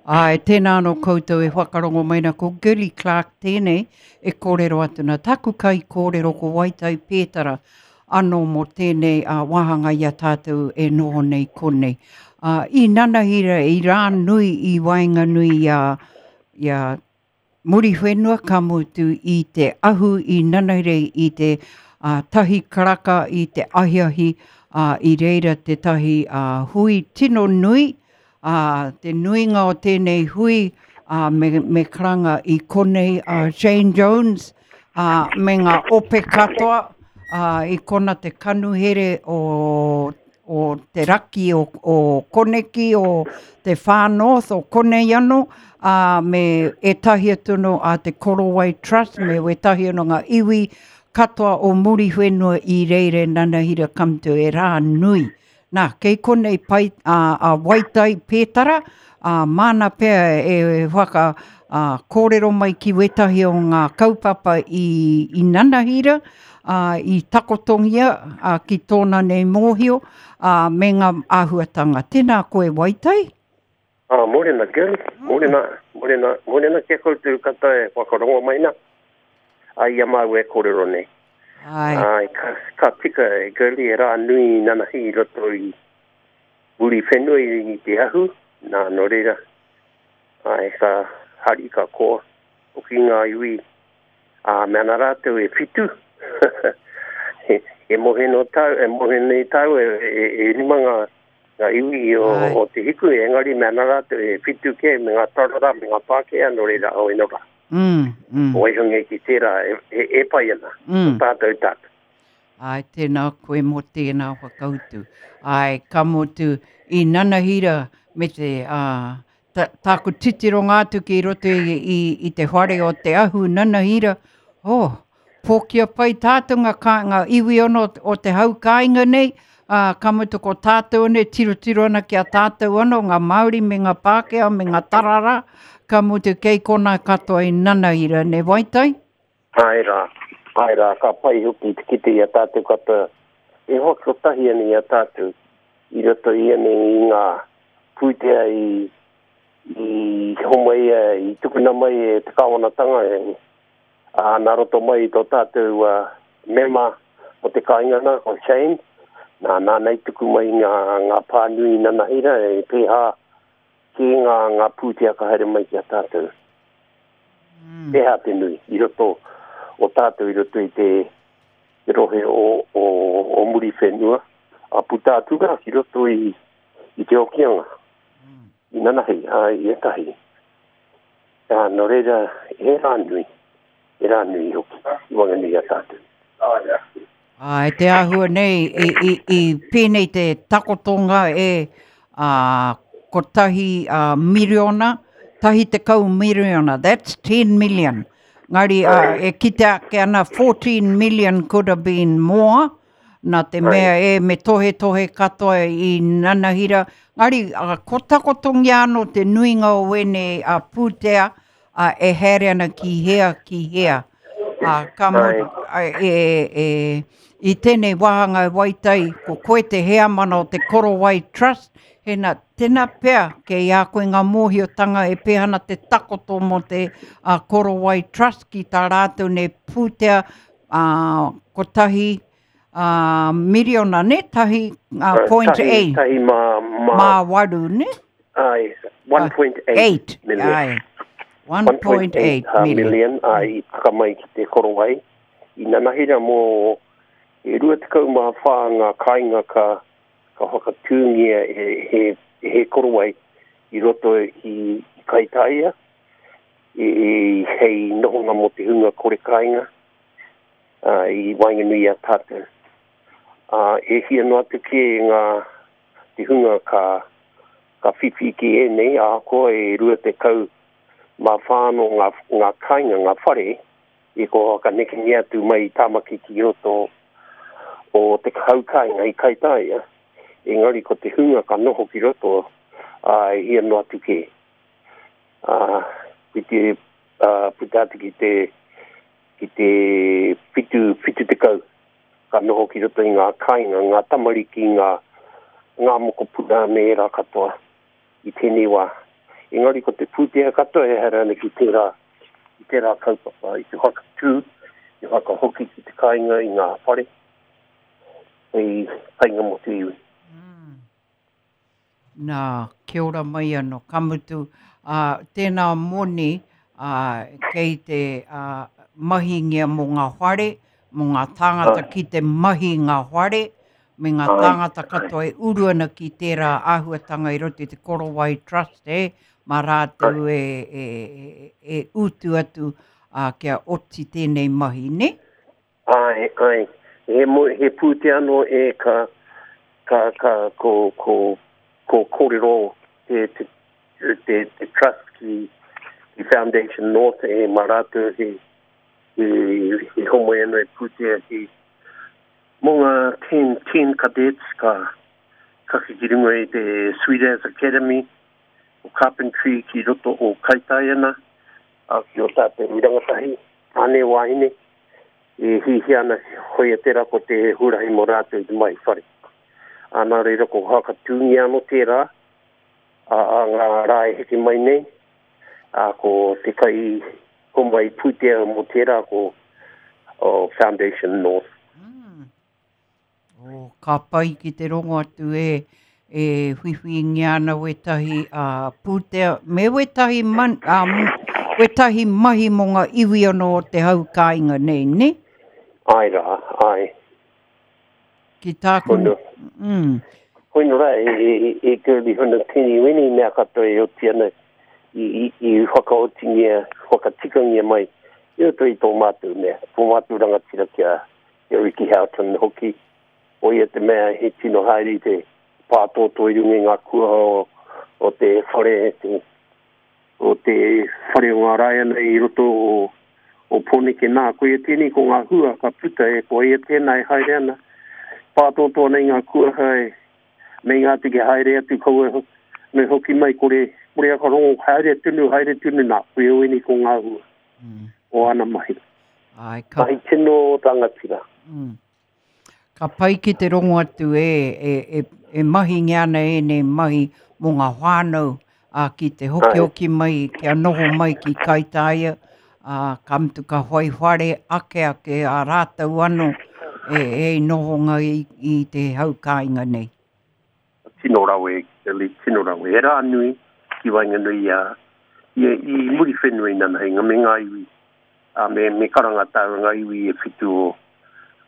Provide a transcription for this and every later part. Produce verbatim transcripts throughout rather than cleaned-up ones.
Ai, tēnā anō koutou e whakarongo mai na ko Girlie Clark tēnei e kōrero atu na taku kai kōrero ko Waitai Pētara anō mō tēnei uh, wāhanga i a tātou e noho nei konei. Uh, i nanahira, i rā nui i waenganui i a, i a Muriwhenua ka mutu i te ahu i nanahira i te uh, tahi karaka i te ahiahi uh, i reira te tahi uh, hui tino nui, uh, te nuinga o tēnei hui uh, me, me karanga i konei uh, Shane Jones uh, me ngā ope katoa uh, i kona te kanuhere o o te raki o, o Koneki, o te Far North, o konei anō, uh, me ētahi atu no a te Korowai Trust, me wētahi anō ngā iwi katoa o Muriwhenua i reire nanahira come to e rā nui. Nā, kei konei pai, a, a Waitai Pētara, a, māna pea e whaka a, kōrero mai ki wētahi o ngā kaupapa i, i nanahira, a, i takotongia a, ki tōna nei mōhio, a, me ngā āhuatanga. Tēnā koe Waitai? Ah, mōrena, Girlie. Mōrena, mōrena, mōrena kia koutou katoa e whakarongo mai na. A ia māu e kōrero nei. Ai. Ai, ka, ka tika e Girlie e rā nui nanahi i roto i Muriwhenua i te ahu. Nā, nō reira. Ai, ka hari ka koa. Hoki ngā iwi. A, me ana rātou e whitu. e, e mohe no tau, e mohe nei tau, e, e, e rima ngā, ngā iwi o, Ai. o te hiku, e engari me ana rātou e whitu ke, me ngā tarara, me ngā Pākehā, nō reira, o eno rā. Mm, mm, Waihonge ki tērā, e, e, e pai ana, mm. tātou tātou. Ai, tēnā koe mō tēnā whakautu. Ai, ka mutu i nanahira me te uh, ta, tāku titironga atu ki roto i, i, i te whare o te ahu nanahira. Oh, pōkia pai tātou ngā, kā, ngā iwi ono o te hau kāinga nei, uh, ka mutu ko tātou ane, tirotiro ana ki a tātou ano, ngā Māori me ngā Pākehā me ngā tarara, ka mutu kei kona katoa i nanahira, ne Waitai? Ai rā, ai rā, ka pai hoki te kite i a tātou katoa. E hoki kotahi ana i a tātou, i roto i ane i ngā pūtea i, i homai e, i tukuna mai e te kāwanatanga e, a, nā roto mai i tō tātou uh, mema o te kāinga nā, ko Shane, nā, nā nei tuku mai ngā, ngā pānui nanahira e pēhā ki ngā, ngā pūtea ka haere mai ki a tātou. Mm. Pēhā te nui i roto o tātou i roto i te, te rohe o, o, o Muriwhenua, a puta atu rā ki roto i, i te Hokianga, i nanahi, a, i etahi. A, nō reira, he rā nui, he rā nui hoki, i wanganui a tātou. Ai, te āhua nei, i, i, i pēnei te takotonga e a, kotahi a, miriona, tahi tekau miriona, that's ten million. Ngari, uh, e kite ake ana fourteen million could have been more, nā te mea e me tohe tohe katoa i nanahira. Ngari, uh, ko takotongia anō te nuinga o wēnei a pūtea uh, e haere ana ki hea, ki hea. Uh, ka mo, Ai. e, e, i tēnei wāhanga e Waitai, ko koe te heamana o te Korowai Trust, hena, tēnā pea, kei a koe ngā mōhiotanga e pēhana te takoto mō te uh, Korowai Trust ki tā rātou nei pūtea uh, kotahi uh, miriona, ne? Tahi uh, point tahi, eight. Tahi mā, mā, Mā waru, ne? ai, one point eight Eight. million. Ai. one point eight uh, million. million ai taka mai ki te Korowai. I nanahira mō e rua tekau mā whā ngā kāinga ka, ka whakatūngia e, he, he Korowai i roto i, i Kaitaia, e, e, hei nohonga mō te hunga kore kāinga uh, i waenganui a tātou. Uh, e hia noa atu ki ngā te hunga ka, ka whiwhi ki ēnei, ahakoa e rua tekau mā whāno ngā, ngā kāinga, ngā whare, i ko whakanekengia atu mai i Tāmaki ki roto o te hau kāinga i Kaitaia. Engari ko te hunga ka noho ki roto, ā, e hia noa atu kē. Ā, ki te, ā, puta atu ki te, ki te whitu, whitu tekau, ka noho ki roto i ngā kāinga, ngā tamariki, ngā, ngā mokopuna me ērā katoa i tēnei wā. Engari ko te pūtea katoa e haere ana ki tērā, ki tērā kaupapa, i te whakatū, i whakahoki ki te kāinga i ngā whare, hei painga mō te iwi. Mm. Nā, kia ora mai anō, ka mutu, uh, tēnā moni uh, kei te uh, mahingia mō ngā whare, mō ngā tāngata Ai. ki te mahi ngā whare, me ngā Ai. tāngata katoa e uru ana ki tērā āhuatanga i roto i te Korowai Trust, e, mā rātou e, e, e, e utu atu uh, kia oti tēnei mahi, ne? Ai, ai. He, mo, he pūtea anō e ka, ka, ka, ko, ko, ko kōrero te, te, te, te trust ki, ki Foundation North e mā rātou he, he, he homoi anō e pūtea ki mō ngā ten, ten cadets ka, ka ki runga i te Swedaz Academy o Carpentry ki roto o Kaitaia, a ki o tātou rangatahi, tāne wāhine, e hihi ana hoia tērā ko te hurahi mō rātou i te mahi whare. A nā reira ko whakatūngia anō tērā, a, a ngā rā e heke mai nei, a ko te kai homai pūtea mō tērā ko o Foundation North. Mm. Oh, ka pai ki te rongo atu e, e whiwhingia ana wetahi uh, pūtea, me wetahi, man, um, wetahi mahi mō ngā iwi anō o te hau kāinga nei, ne? Ai rā, ai. Ki tāku... Hono. Mm. Hoino rā, e, e, e, e Girlie huna tini weni mea katoa e oti ana i, i, i whakaotingia, whakatikangia mai i roto i tō mātou mea, tō mātou rangatira kia, kia Ricky Houghton hoki. O ia te mea he tino haere i te pātōtō i runga i ngā kuaha o, o te whare, te, o te whare o ngā Raiana i roto o, o Pōneke nā. Ko ia tēnei ko ngā hua ka puta e, ko ia tēnā e haere ana. Pātōtō ana i ngā kuaha e, me ngā tike haere atu kaua me hoki mai kore, kore aka rongo haere tunu, haere tunu nā. Ko ia wini ko ngā hua Mm. o ana mahi. Ai, ka, Mahi tino rangatira. mm. Ka pai ki te rongo atu e, e, e, e mahingia ana ēnei mahi mō ngā whānau a, ki te hokihoki mai, kia noho mai ki Kaitaia, a, ka mutu ka whai whare ake ake a rātou anō e, e nohonga i, i te hau kāinga nei. Tino rawe, Kelly, tino rawe. He rā nui ki waenganui a, i, i muri whenua i nana hinga me ngā iwi, a, me, me karanga tāu ngā iwi e whitu o,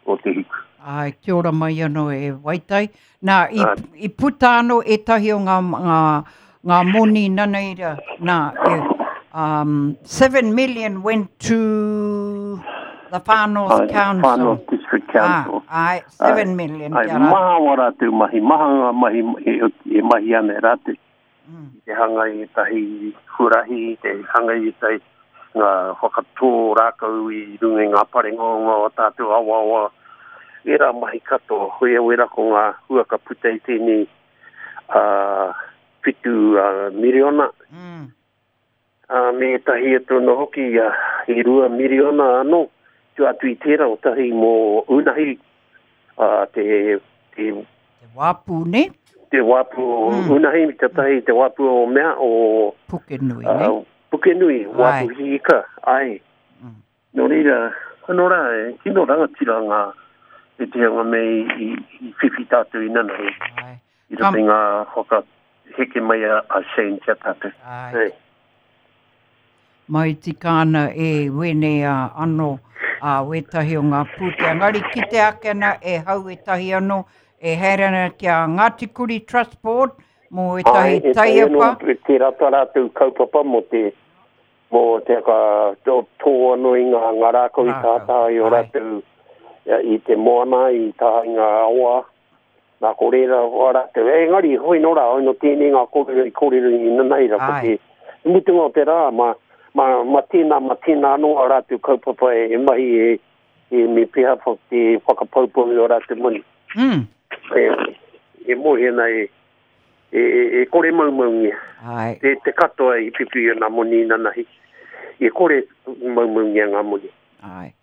o te hiku. Ai, kia ora mai anō e Waitai. Nā, i, Ai. i puta anō ētahi o ngā, ngā, ngā moni nanaira. Nā, e, um, seven million went to the Far North Ai, Council. Far North District Council. Ah, ai, seven million. Ai, kia rā. maha wā rātou mahi, maha ngā mahi e, e mahi ana e rātou. Mm. Te hanga i ētahi huarahi, te hanga i ētahi ngā whakatō rākau i runga i ngā parengonga o tātou awawa. Ērā mahi katoa, hoi au era ko ngā hua ka puta i tēnei uh, whitu uh, miriona. Mm. Uh, me ētahi atu anō hoki uh, i rua miriona anō. Tu atu i tērā o tahi mō unahi uh, te, te, Te wāpū, ne? te wāpu o Mm. unahi, te tahi te wāpu o mea o Pukenui, ne? uh, Pukenui, wāpu Ai. hiika, ai. Mm. Nō reira, anō rā, e, tino rangatira ngā e te hanga me i, i, i whiwhi tātou i nanahi. Ai, I roto i ngā whakaheke mai a, a Shane kia tātou. ai. Ei. Mai tika ana e wene a anō a wetahi o ngā pūtea. Ngari ki te ake ana e hau ētahi anō e haere ana ki a Ngāti Kuri Trust Board mō Ai, ētahi e tahi anō, taiapa. e tērā tā rātou kaupapa mō te mō te ka tō, tō anō i ngā, ngā rākau i Rākau, tātā i o ai. rātou ia, i te moana, i tā i ngā awa. Nā ko reira o rātou. E, engari, hoi nō rā, hoi nō tēnei ngā kōrero i kōrero i nanaira. Ko Ai. te mutunga o te rā, ma, ma, ma tēnā, ma tēnā anō a rātou kaupapa e, e mahi e, e me peha wha- te whakapaupau i o rātou moni. Mm. E, e mohi ana e, e, e, e kore maumaungia. Ai. Te, te katoa i pipi i ngā moni nanahi. E kore maumaungia ngā moni. Ai.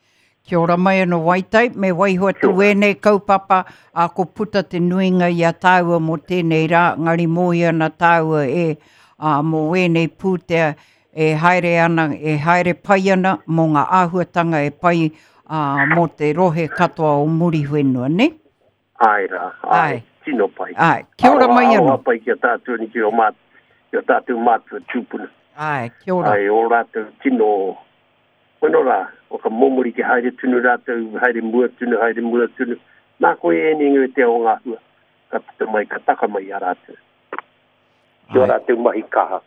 Kia ora mai anō Waitai, me waiho atu Kia ora. wēnei kaupapa, a ko puta te nuinga i a tāua mō tēnei rā, ngari mohi ana tāua e, ā, mō ēnei pūtea e haere ana, e haere pai ana mō ngā āhuatanga e pai ā, mō te rohe katoa o Muriwhenua, ne? Ai rā, ai, Ai. Tino pai. Ai, kia ora mai anō. Aroha pai ki a tātou ni ki o māt, ki o tātou mātua tūpuna. Ai, kia ora. Ai, o rātou tino, weno rā, o ka momori ki haere tunu rātou, haere mua tunu, haere mua tunu. Nā koe e ni ngā te o ngā hua, ka puta mai, ka taka mai a rātou. Ki o Ai. rātou mahi kaha.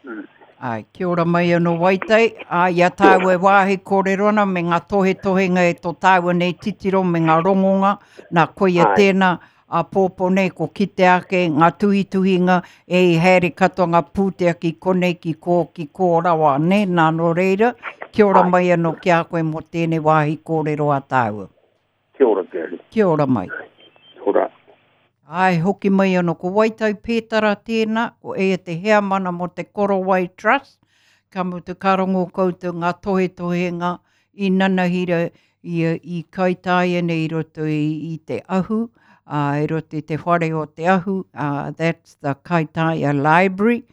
Mm. Ai, kia ora mai anō Waitai. Ai, i a tāua e wāhi kōrero ana me ngā tohetohenga e tō tāua nei titiro me ngā rongonga. Nā koia Ai. tēnā a pōpō nei ko kite ake ngā tuhituhinga e i haere katoa ngā pūtea ki konei ki kō ki kō rawa ne nā nō reira. Kia ora Ai. mai anō ki a koe mō tēnei wāhi kōrero a tāua. Kia ora, Gary. Kia ora mai. Kia ora. Ai, hoki mai anō, ko Waitai Pētara tēnā, ko e te heamana mō te Korowai Trust, ka mutu ka rongo koutou ngā tohetohenga i nanahira i, i Kaitaia nei i roto i, i te ahu, uh, i roto i te whare o te ahu, uh, that's the Kaitaia Library,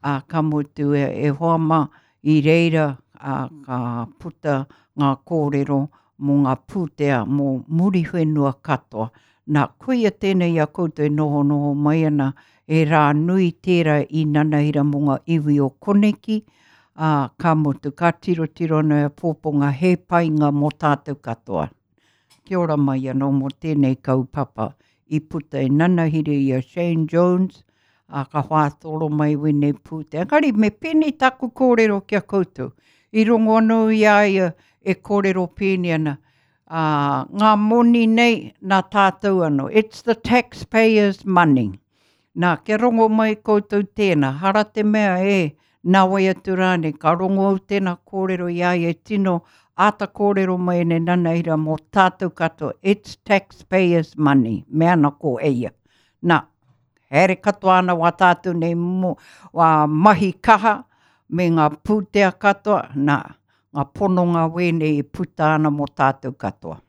uh, ka mutu e, e hoa mā i reira uh, ka puta ngā kōrero mō ngā pūtea mō Muriwhenua katoa. Nā, koia tēnei a koutou e noho noho mai ana e rā nui tērā i nanahira mō ngā iwi o koneki, ā, ka mutu, ka tirotiro ana e pōponga he painga mō tātou katoa. Kia ora mai anō mō tēnei kaupapa i puta e nanahira i a Shane Jones, ā, ka whātoro mai wene pūtea. Engari, me pēnei taku kōrero ki a koutou. I rongo anō i a ia e kōrero pēni ana, Uh, ngā moni nei nā tātou anō. It's the taxpayers' money. Nā, kia rongo mai koutou tēnā, hara te mea e, nā wai atu rānei, ka rongo au tēnā kōrero i a ia e tino āta kōrero mai ne nanaira mō tātou katoa. It's taxpayers' money. Mea ana ko eia. Nā, haere katoa ana wā tātou nei mō, wā mahi kaha me ngā pūtea katoa. Nā, ngā pononga wēnei e puta ana mō tātou katoa.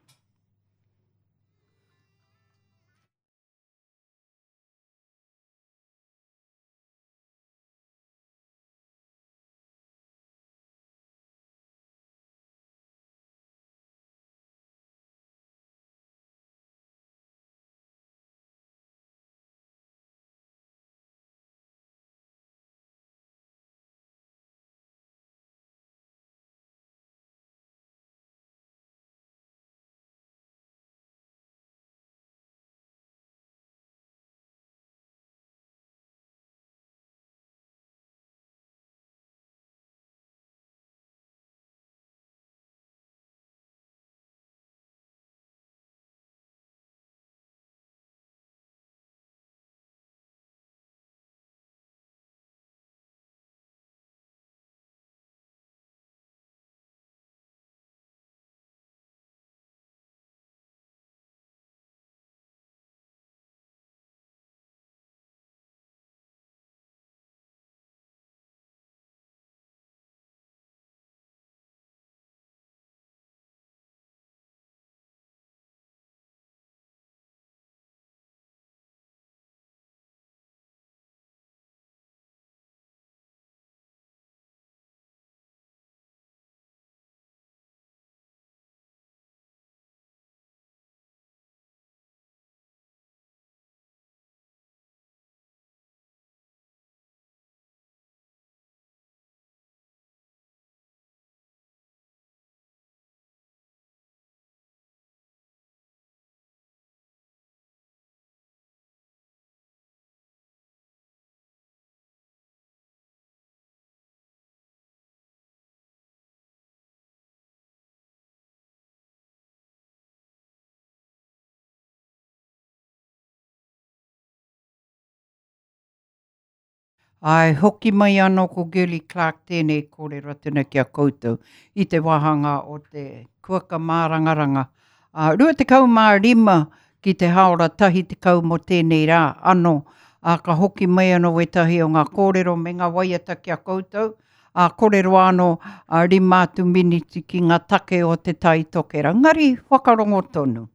Ai, hoki mai anō ko Girlie Clark tēnei kōrero atu ki a koutou i te wāhanga o te kuaka mārangaranga. Uh, rua tekau mā rima ki te haora tahi tekau mō tēnei rā anō. Uh, ka hoki mai anō wetahi o ngā kōrero me ngā waiata ki a koutou. Uh, kōrero anō uh, rima atu miniti ki ngā take o te tai tokera. Ngari whakarongo tonu.